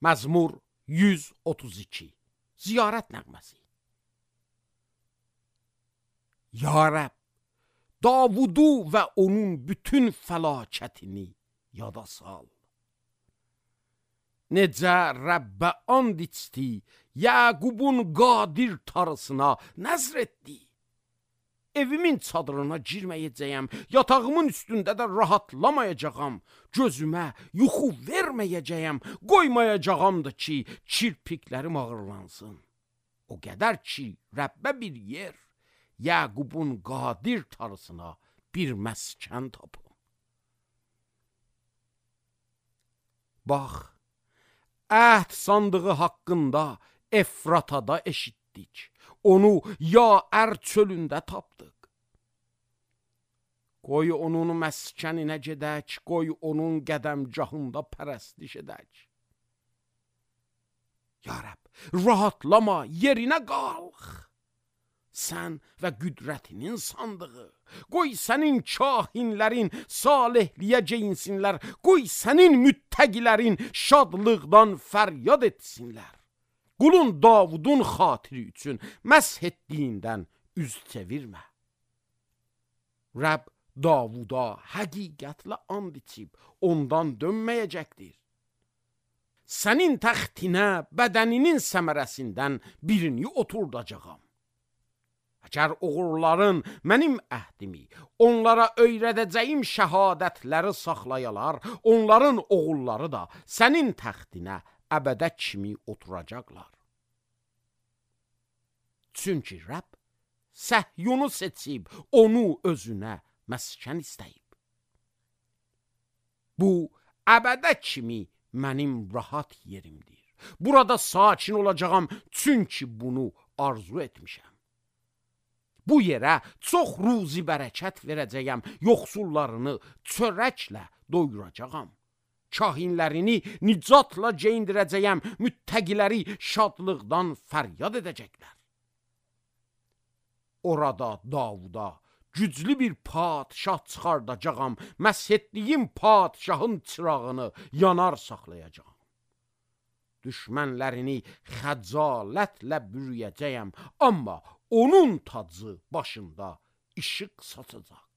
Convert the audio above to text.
Məzmur 132 Ziyarət nəğməsi. Ya Rəbb, Davudu və onun bütün fəlakətini yada sal. Necə Rəbbə and içdi, Yəqubun qadir tarısına nəzr etdi. Evimin çadırına girməyəcəyəm, yatağımın üstündə də rahatlamayacağam, gözümə yuxu verməyəcəyəm, qoymayacağamdır ki, kirpiklərim ağırlansın. O qədər ki, Rəbbə bir yer, Yəqubun qadir tarısına bir məskən tapım. Bax, əhd sandığı haqqında Efratada eşitdik. Onu Yaər çölündə tapdıq. Qoy onun məskəninə gedək, qoy onun qədəmgahında pərəstiş edək. Ya Rəbb, rahatlama, yerinə qalx. Sən və qüdrətinin sandığı, qoy sənin kahinlərin salihliyə geyinsinlər, qoy sənin müttəqilərin şadlıqdan fəryad etsinlər. Qulun Davudun xatiri üçün məsh etdiyindən üz çevirmə. Rəbb Davuda həqiqətlə and içib, ondan dönməyəcəkdir. Sənin təxtinə bədəninin səmərəsindən birini oturdacağam. Əgər oğulların mənim əhdimi, onlara öyrədəcəyim şəhadətləri saxlayalar, onların oğulları da sənin təxtinə əbədə kimi oturacaqlar. Çünki Rəbb Səhyunu seçib, onu özünə məskən istəyib. Bu, əbədə kimi mənim rahat yerimdir. Burada sakin olacağam, çünki bunu arzu etmişəm. Bu yerə çox ruzi bərəkət verəcəyəm, yoxsullarını çörəklə doyuracağam. Kahinlərini nicatla geyindirəcəyəm, müttəqiləri şadlıqdan fəryad edəcəklər. Orada Davuda güclü bir padşah çıxardacağam, məsh etdiyim padşahın çırağını yanar saxlayacağam. Düşmənlərini xəcalətlə bürüyəcəyəm, amma onun tacı başında işıq saçacaq.